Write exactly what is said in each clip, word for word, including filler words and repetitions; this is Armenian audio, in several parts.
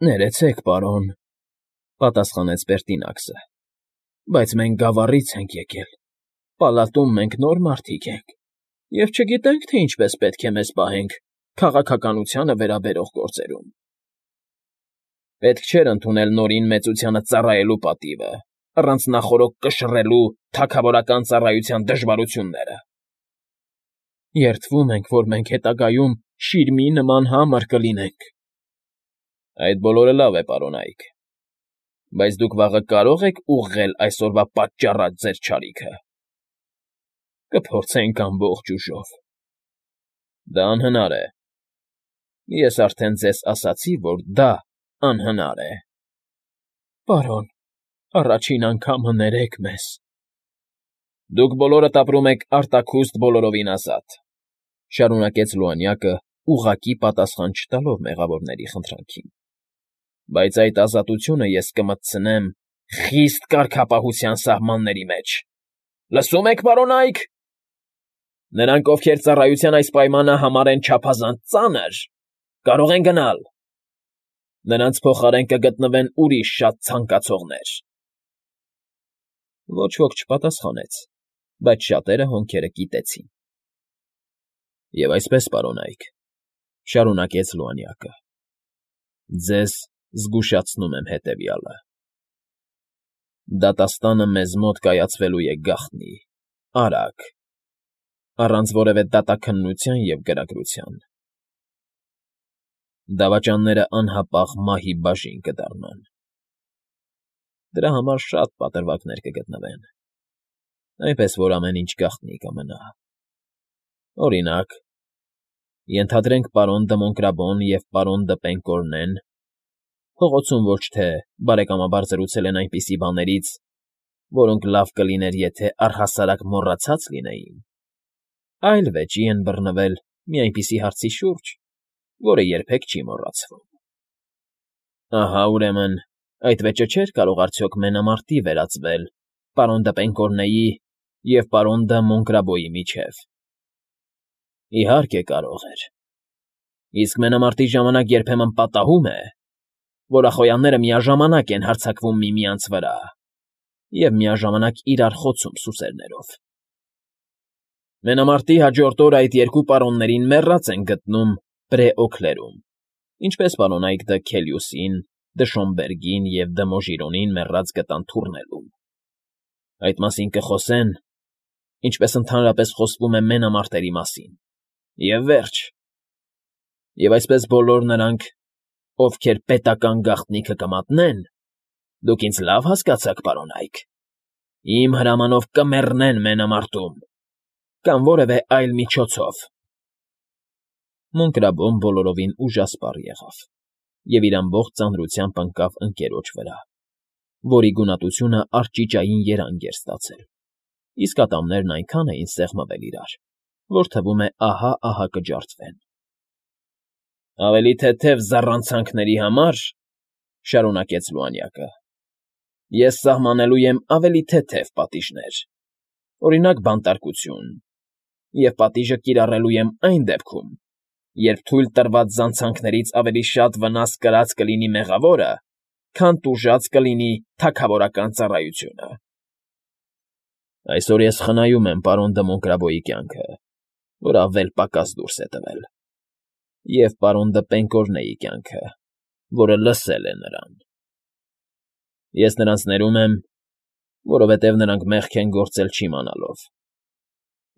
Ներեցեք, պարոն,֊ պատասխանեց Պերտինաքսը,֊ բայց մենք գավառից ենք եկել, պալատում մենք նոր մարդիկ ենք և չգիտենք, թե ինչպես պետք է մեզ պահենք քաղաքականությանը վերաբերող գործերում։ Պետք չէր ընդունել նորին մեծությանը ծառայելու պատիվը, առանց նախօրոք կշռելու թագավորական ծառայության դժվարությունները։ Երդվում ենք, որ մենք հետագայում շիրմի նման համր կլինենք։ Այդ բոլորը լավ է, պարոնայք, բայց դուք վաղը կարո՞ղ եք ուղղել այսօրվա պատճառած ձեր չարիքը։ Կփորձենք ամբողջ ուժով։ Դա անհնար է։ Ես արդեն ձեզ ասացի, որ դա անհնար է։ Պարոն, առաջին անգամը ներեք մեզ։ Դուք բոլորդ ապրում եք արտաքուստ բոլորովին ազատ,֊ շարունակեց Լուանյակը, ուղղակի պատասխան չտալով մեղավորների խնդրանքին,֊ բայց այդ ազատությունը ես կմտցնեմ խիստ կարգապահության սահմանների մեջ։ Լսո՞ւմ եք, պարոնայք… Նրանք, ովքեր ծառայության այս պայմանը համարեն չափազանց ծանր, կարող են գնալ։ Նրանց փոխարեն կգտնվեն ուրիշ շատ ցանկացողներ։ Ոչ ոք չպատասխանեց, բայց շատերը հոնքերը կիտեցին։ Եվ այսպես, պարոնայք,֊ շարունակեց Լուանյակը,֊ ձեզ զգուշացնում եմ հետևյալը. դատաստանը մեզ մոտ կայացվելու է գաղտնի, արագ, առանց որևէ դատաքննության և գրագրության։ Դավաճանները անհապաղ մահի բաժին կդառնան։ Դրա համար շատ պատրվակներ կգտնվեն, այնպես որ ամեն ինչ գաղտնի կմնա։ Օրինակ, ենթադրենք պարոն Դը Մոնկրաբոն և պարոն Դը Պենկորնեն փողոցում ոչ թե բարեկամաբար զրուցել են այնպիսի բաներից, որոնք լավ կլիներ, եթե առհասարակ մոռացած լինեին, այլ վեճի են բռնվել մի այնպիսի հարցի շուրջ, որը երբեք չի մոռացվում։ Ահա, ուրեմն, այդ վեճը չէր կարող արդյոք մենամարտի վերածվել պարոն Դը Պենկորնեի և պարոն Դը Մոնկրաբոյի միջև։ Իհարկե կարող էր։ Իսկ մենամարտի ժամանակ երբեմն պատահում է, որ ախոյանները միաժամանակ են հարձակվում միմյանց վրա և միաժամանակ իրար խոցում սուսերներով։ Մենամարտի հաջորդ օրը այդ երկու պարոններին մեռած են գտնում Բրեօքլերում, ինչպես պարոնայք Դը Քելիուսին, Դը Շոմբերգին և Դը Մոժիրոնին մեռած գտան թուրնելում։ Այդ մասին կխոսեն, ինչպես ընդհանրապես խոսվում է մենամարտերի մասին, և վերջ։ Եվ այսպես բոլոր նրանք, ովքեր պետական գաղտնիքը կմատնեն, դուք ինձ լավ հասկացաք, պարոնայք, իմ հրամանով կմեռնեն մենամարտում կամ որևէ այլ միջոցով։ Մոնկրաբոն բոլորովին ուժասպառ եղավ և իր ամբողջ ծանրությամբ ընկավ ընկերոջ վրա, որի գունատությունը արճիճային երանգ էր ստացել, իսկ ատամներն այնքան էին սեղմվել իրար, որ թվում է ահա֊ահա կջարդվեն։ Ավելի թեթև զառանցանքների համար, շարունակեց Լուանյակը, ես սահմանելու եմ ավելի թեթև պատիժներ, օրինակ, բանտարկություն, և պատիժը կիրառելու եմ այն դեպքում, երբ թույլ տրված զանցանքներից ավելի շատ վնաս կրած կլինի մեղավորը, քան տուժած կլինի թագավորական ծառայությունը։ Այսօր ես խնայում եմ պարոն Դը Մոնկրաբոյի կյանքը, որ ավել պակաս դուրս է տվել, և պարոն Դը Պենկորնեի կյանքը, որը լսել է նրան։ Ես նրանց ներում եմ, որովհետև նրանք մեղք են գործել չիմանալով։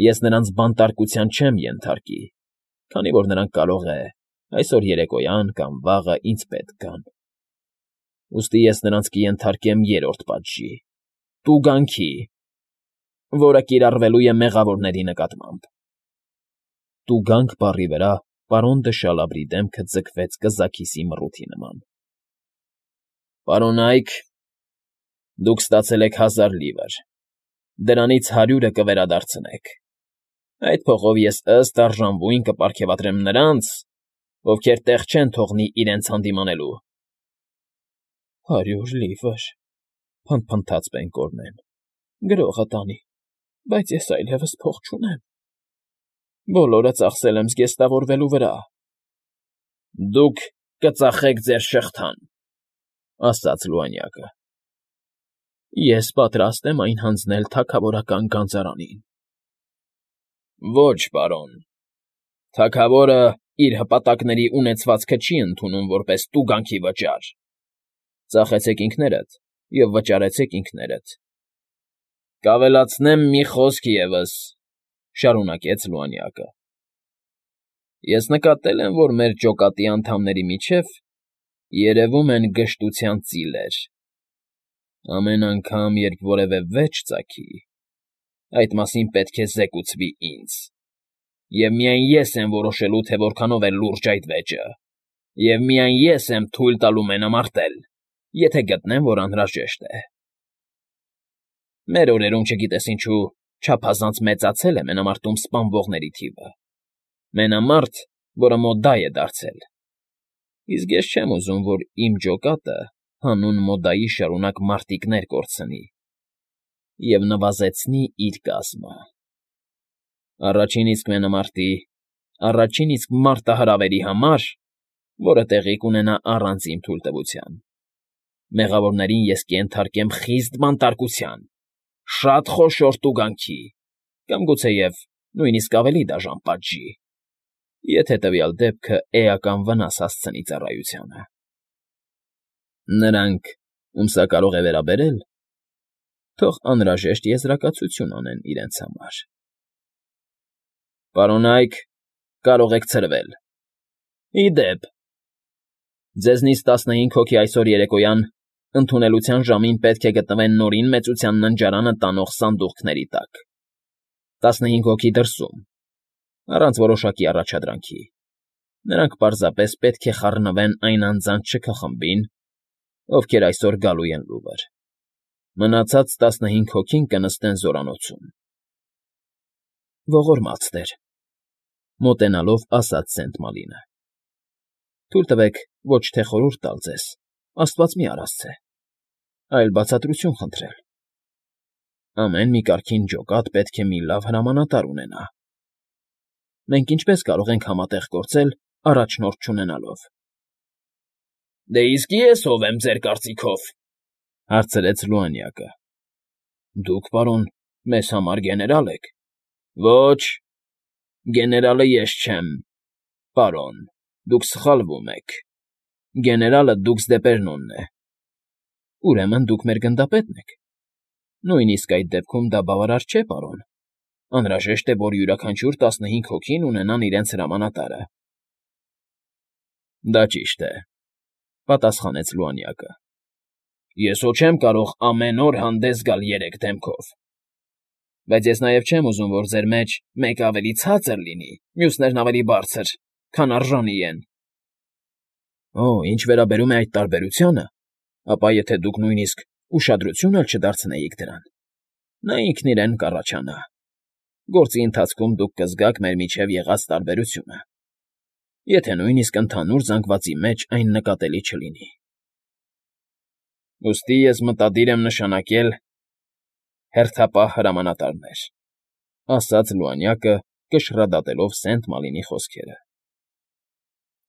Ես նրանց բանտարկության չեմ ենթարկի, քանի որ նրանք կարող է այսօր երեկոյան կամ վաղը ինձ պետք գան։ Ուստի ես նրանց կենթարկեմ երրորդ պատժի՝ տուգանքի, որը կիրառվելու է մեղավորների նկատմամբ։ Տուգանք բառի վրա պարոն Դը Շալաբրի դեմքը ձգվեց կզաքիսի մռութի նման։ Պարոնայք, դուք ստացել եք հազար լիվր, դրանից հարյուրը կվերադարձնեք։ Այդ փողով ես ըստ արժանվույն կպարգևատրեմ նրանց, ովքեր տեղ չեն թողնի իրենց հանդիմանելու։ Հարյուր լիվր,֊ փնթփնթաց Պենկորնեն,֊ գրողը տանի, բայց ես այլևս փող չունեմ։ Բոլորը ծախսել եմ զգեստավորվելու վրա։ Դուք կծախեք ձեր շղթան,֊ ասաց լուանյակը։ Ես պատրաստ եմ այն հանձնել թագավորական գանձարանին։ Ոչ, պարոն, թագավորը իր հպատակների ունեցվածքը չի ընդունում որպես տուգանքի վճար։ Ծախեցեք ինքներդ և վճարեցեք ինքներդ։ Կավելացնեմ մի խոսք ևս,֊ շարունակեց լուանյակը. ես նկատել եմ, որ մեր ջոկատի անդամների միջև երևում են գժտության ծիլեր. ամեն անգամ, երբ որևէ վեճ ծագի, այդ մասին պետք է զեկուցվի ինձ, և միայն ես եմ որոշելու, թե որքանով է լուրջ այդ վեճը, և միայն ես եմ թույլ տալու մենամարտել, եթե գտնեմ, որ անհրաժեշտ է։ Մեր օրերում, չգիտես ինչու, չափազանց մեծացել է մենամարտում սպանվողների թիվը, մենամարտ, որը մոդայ է դարձել, իսկ ես չեմ ուզում, որ իմ ջոկատը հանուն մոդայի շարունակ մարտիկներ կորցնի և նվազեցնի իր կազմը։ Առաջին իսկ մենամարտի, առաջին իսկ մարտահրավերի համար, որը տեղի կունենա առանց իմ թույլտվության, մեղավորներին ես կենթարկեմ խիստ բանտարկության, շատ խոշոր տուգանքի կամ գուցեև նույնիսկ ավելի դաժան պատժի, եթե տվյալ դեպքը էական վնաս հասցնի ծառայությանը։ Նրանք, ում սա կարող է վերաբերել, թող անհրաժեշտ եզրակացություն անեն իրենց համար։ Պարոն Այք, կարող եք ցրվել։ Ի դեպ, ձեզնից տասնհինգ հոգի այսօր երեկոյան ընդունելության ժամին պետք է գտնվեն Նորին Մեծության ննջարանը տանող սանդուղքների տակ, տասնհինգ հոգի դրսում, առանց որոշակի առաջադրանքի, նրանք պարզապես պետք է խառնվեն այն անձանց շքխմբին, ովքեր այսօր գալու են Լուվր, մնացած տասնհինգ հոգին կնստեն զորանոցում։ Ողորմած տեր,֊ մոտենալով ասաց Սենտ Մալինը,֊ թույլ տվեք ոչ թե խորհուրդ տալ ձեզ, աստված մի արասցե, այլ բացատրություն խնդրել։ Ամեն մի կարգին ջոկատ պետք է մի լավ հրամանատար ունենա։ Մենք ինչպես կարող ենք համատեղ գործել առաջնորդ չունենալով։ ֊ Դե իսկ ես ով եմ ձեր կարծիքով,֊ հարցրեց լուանյակը։ ֊ Դուք, պարոն, մեզ համար գեներալ եք։ ֊ Ոչ, գեներալը ես չեմ, պարոն, դուք սխալվում եք, գեներալը դուքս Դեպերնոնն է։ ֊ Ուրեմն դուք մեր գնդապետն եք։ Նույնիսկ այդ դեպքում դա բավարար չէ, պարոն, անհրաժեշտ է, որ յուրաքանչյուր տասնհինգ հոգին ունենան իրենց հրամանատարը։ ֊ Դա ճիշտ է,֊ պատասխանեց լուանյակը։ Ես հո չեմ կարող ամեն օր հանդես գալ երեք դեմքով։ Բայց ես նաև չեմ ուզում, որ ձեր մեջ մեկը ավելի ցածր լինի, մյուսներն ավելի բարձր, քան արժանի են։ ֊ Օ, ինչ վերաբերում է այդ տարբերությանը, ապա եթե դուք նույնիսկ ուշադրություն էլ չդարձնեիք դրան, նա ինքն իրեն կառաջանա։ Գործի ընթացքում դուք կզգաք մեր միջև եղած տարբերությունը, եթե նույնիսկ ընդհանուր զանգվածի մեջ այն նկատելի չլինի։ Ուստի ես մտադիր եմ նշանակել հերթապահ հրամանատարներ,֊ ասաց լուանյակը, կշռադատելով Սենտ Մալինի խոսքերը։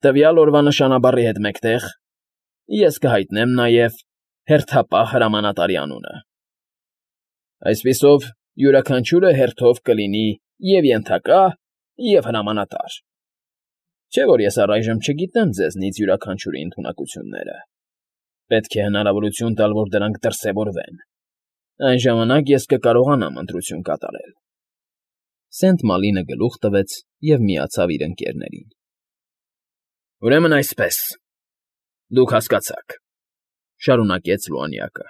Տվյալ օրվա նշանաբառի հետ մեկտեղ ես կհայտնեմ նաև հերթապահ հրամանատարի անունը։ Այսպիսով, յուրաքանչյուրը հերթով կլինի և՛ ենթակա, և՛ հրամանատար։ Չէ՞ որ ես առայժմ չգիտեմ ձեզնից յուրաքանչյուրի ընդունակությունները, պետք է հնարավորություն տալ, որ դրանք դրսևորվեն, այն ժամանակ ես կկարողանամ ընտրություն կատարել։ Սենտ Մալինը գլուխ տվեց և միացավ իր ընկերներին։ ֊ Ուրեմն այսպես, դուք հասկացաք,֊ շարունակեց լուանյակը.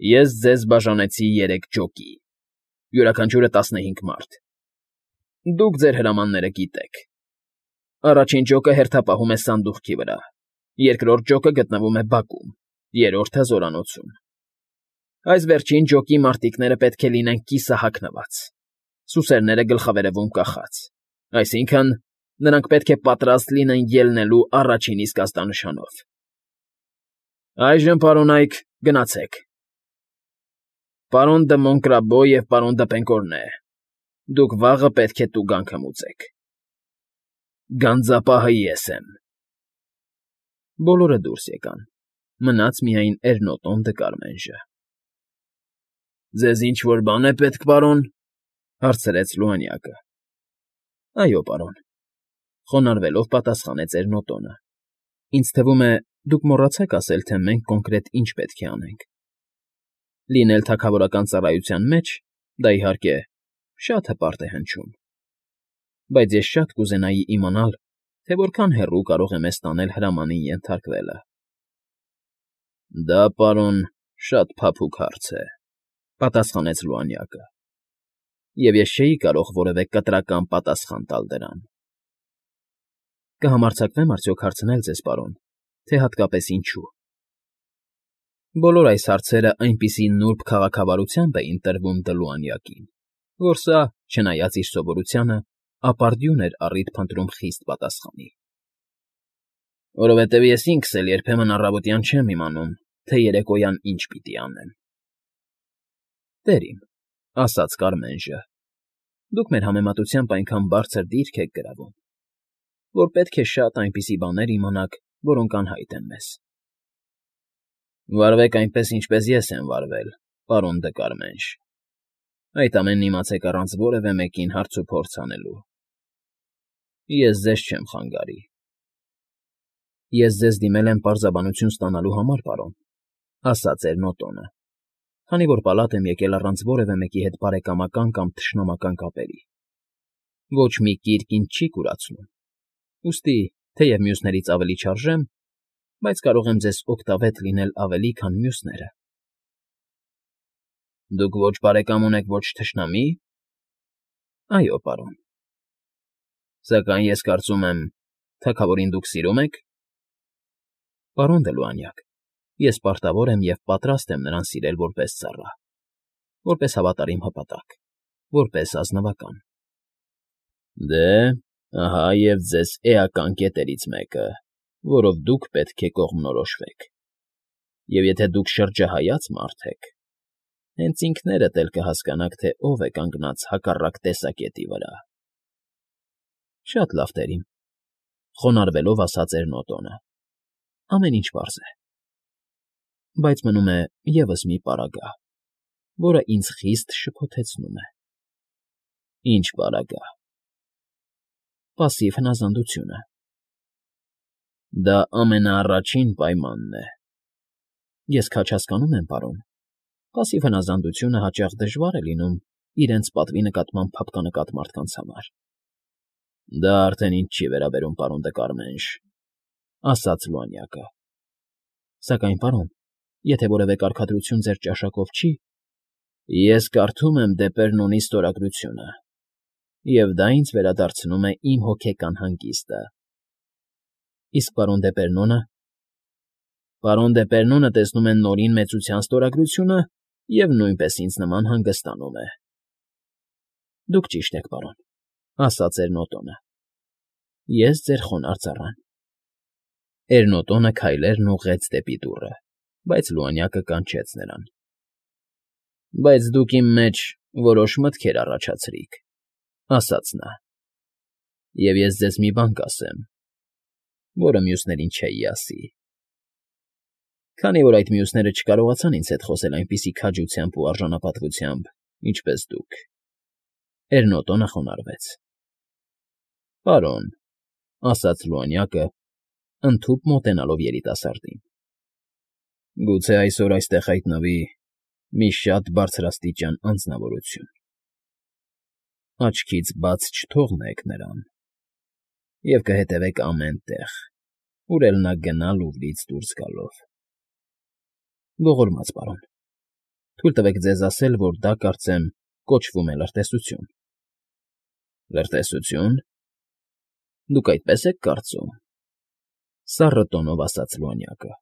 ես ձեզ բաժանեցի երեք ջոկի, յուրաքանչյուրը տասնհինգ մարդ։ Դուք ձեր հրամանները գիտեք։ Առաջին ջոկը հերթապահում է սանդուղքի վրա, երկրորդ ջոկը գտնվում է բակում, երրորդը՝ զորանոցում։ Այս վերջին ջոկի մարտիկները պետք է լինեն կիսահագնված, սուսերները գլխավերևում կախած, այսինքն՝ նրանք պետք է պատրաստ լինեն ելնելու առաջին իսկ ազդանշանով։ Այժմ, պարոն Այք, գնացեք։ Պարոն դը Մոնկրաբո և պարոն դը Պենկորնե, դուք վաղը պետք է տուգանքը մուծեք։ Գանձապահը ես եմ։ Բոլորը դուրս եկան, մնաց միայն Էրնոտոն Դկարմենժը։ ֊ Ձեզ ինչ֊որ բան է պետք, պարոն,֊ հարցրեց Լուանյակը։ ֊ Այո, պարոն,֊ խոնարհվելով պատասխանեց Էրնոտոնը։֊ Ինձ թվում է, դուք մոռացաք ասել, թե մենք կոնկրետ ինչ պետք է անենք։ Լինել թագավորական ծառայության մեջ, դա, իհարկե, շատ հպարտ է հնչում, բայց ես շատ կուզենայի իմանալ, թե որքան հեռու կարող է մեզ տանել հրամանին ենթարկվելը։ ֊ Դա, պարոն, շատ փափուկ հարց է,֊ պատասխանեց Լուանյակը,֊ և ես չէի կարող որևէ կտրական պատասխան տալ դրան։ ֊ Կհամարձակվեմ արդյոք հարցնել ձեզ, պարոն, թե հատկապես ինչու։ Բոլոր այս հարցերը այնպիսի նուրբ քաղաքավարությամբ էին տրվում Դլուանյակին, որ սա, չնայած իր սովորությանը, ապարդյուն էր առիթ փնտրում խիստ պատասխանի։ ֊ Որովհետև ես ինքս էլ երբեմն առավոտյան չեմ իմանում, թե երեկոյան ինչ պիտի անեմ։ ֊ Տեր իմ,֊ ասաց Կարմենժը,֊ դուք մեր համեմատությամբ այնքան բարձր դիրք եք գրավում, որ պետք է շատ այնպիսի բաներ իմանաք, որոնք անհայտ են մեզ։ ֊ Վարվեք այնպես, ինչպես ես եմ վարվել, պարոն Դկարմենջ, այդ ամենն իմացեք առանց որևէ մեկին հարցուփորձ անելու։ Ես ձեզ չեմ խանգարի։ ֊ Ես ձեզ դիմել եմ պարզաբանություն ստանալու համար, պարոն,֊ ասաց Էրնոտոնը, քանի որ պալատ եմ եկել առանց որևէ մեկի հետ բարեկամական կամ թշնամական կապերի։ Ոչ մի կիրք ինձ չի կուրացնում, ուստի, թեև մյուսներից ավելի չարժեմ, բայց կարող եմ ձեզ օգտավետ լինել ավելի, քան մյուսները։ ֊ Դուք ոչ բարեկամ ունեք, ոչ թշնամի՞։ ֊ Այո, պարոն։ ֊ Սակայն ես կարծում եմ, թագավորին դուք սիրո՞ւմ եք։ ֊ Պարոն Դլուանյակ, ես պարտավոր եմ և պատրաստ եմ նրան սիրել որպես ծառա, որպես հավատարիմ հպատակ, որպես ազնվական։ ֊ Դե, ահա և ձեզ էական կետերից մեկը, որով դուք պետք է կողմնորոշվեք, և եթե դուք շրջահայաց մարդ եք, հենց ինքներդ էլ կհասկանաք, թե ով է կանգնած հակառակ տեսակետի վրա։ ֊ Շատ լավ, տեր իմ,֊ խոնարհվելով ասաց Էրնոտոնը,֊ ամեն ինչ պարզ է։ Բայց մնում է ևս մի պարագա, որը ինձ խիստ շփոթեցնում է։ ֊ Ի՞նչ պարագա։ ֊ Պասիվ հնազանդությունը։ ֊ Դա ամենաառաջին պայմանն է։ ֊ Ես քաջ հասկանում եմ, պարոն, պասիվ հնազանդությունը հաճախ դժվար է լինում իրենց պատվի նկատմամբ փափկանկատ մարդկանց համար։ ֊ Դա արդեն ինձ չի վերաբերում, պարոն Դկարմենջ,֊ ասաց Լուանյակը։ ֊ Սակայն, պարոն, եթե որևէ կարգադրություն ձեր ճաշակով չի… ֊ Ես կարդում եմ Դեպերնոնի ստորագրությունը, և դա ինձ վերադարձնում է իմ հոգեկան հանգիստը։ ֊ Իսկ պարոն Դեպերնոնը… Պարոն Դեպերնոնը տեսնում է Նորին Մեծության ստորագրությունը և նույնպես ինձ նման հանգստանում է։ ֊ Դուք ճիշտ եք, պարոն,֊ ասաց Էրնոտոնը։ ֊ Ես ձեր խոնարհ ծառան։ Էրնոտոնը քայլերն ուղղեց դեպի դուռը, բայց Լուանյակը կանչեց նրան։ ֊ Բայց դուք իմ մեջ որոշ մտքեր առաջացրիք,֊ ասաց նա,֊ և ես ձեզ մի բան կասեմ, որը մյուսներին չէի ասի։ Քանի որ այդ մյուսները չկարողացան ինձ հետ խոսել այնպիսի քաջությամբ ու արժանապատվությամբ, ինչպես դուք… Էրնոտոնը խոնարհվեց։ ֊ Պարոն,֊ ասաց Լուանյակը, ընդհուպ մոտենալով երիտասարդին,֊ գուցե այսօր այստեղ հայտնվի մի շատ բարձրաստիճան անձնավորություն… Աչքից բաց չթողնեք նրան և կհետևեք ամեն տեղ, ուր էլ նա գնա լուվրից դուրս գալով։ ֊ Ողորմած պարոն, թույլ տվեք ձեզ ասել, որ դա, կարծեմ, կոչվում է լրտեսություն։ ֊ Լրտեսությո՞ւն… Դուք այդպես եք կարծում,֊ սառը տոնով ասաց Լուանյակը։ ֊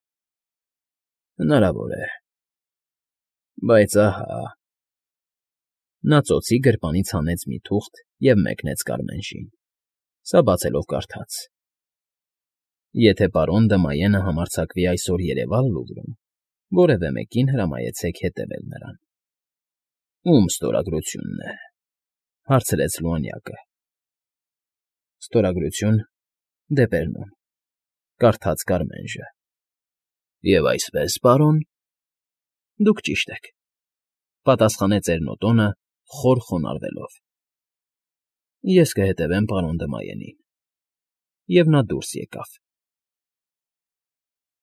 Հնարավոր է… Բայց ահա…֊ Նա ծոցի գրպանից հանեց մի թուղթ և մեկնեց Կարմենժին, սա բացելով կարդաց. «Եթե պարոն Դմայենը համարձակվի այսօր երևալ Լուվրում, որևէ մեկին հրամայեցեք հետևել նրան։ ֊ Ո՞ւմ ստորագրությունն է,֊ հարցրեց Լուանյակը։ ֊ Ստորագրություն, Դեպերնոն։ Կարդաց Կարմենժը։ ֊ Եվ այսպես, պարոն… ֊ Դուք ճիշտ եք,֊ պատասխանեց Էրնոտոնը, խոր խոնարհվելով։ ֊ Ես կհետևեմ պարոն Դմայենին։ Եվ նա դուրս եկավ։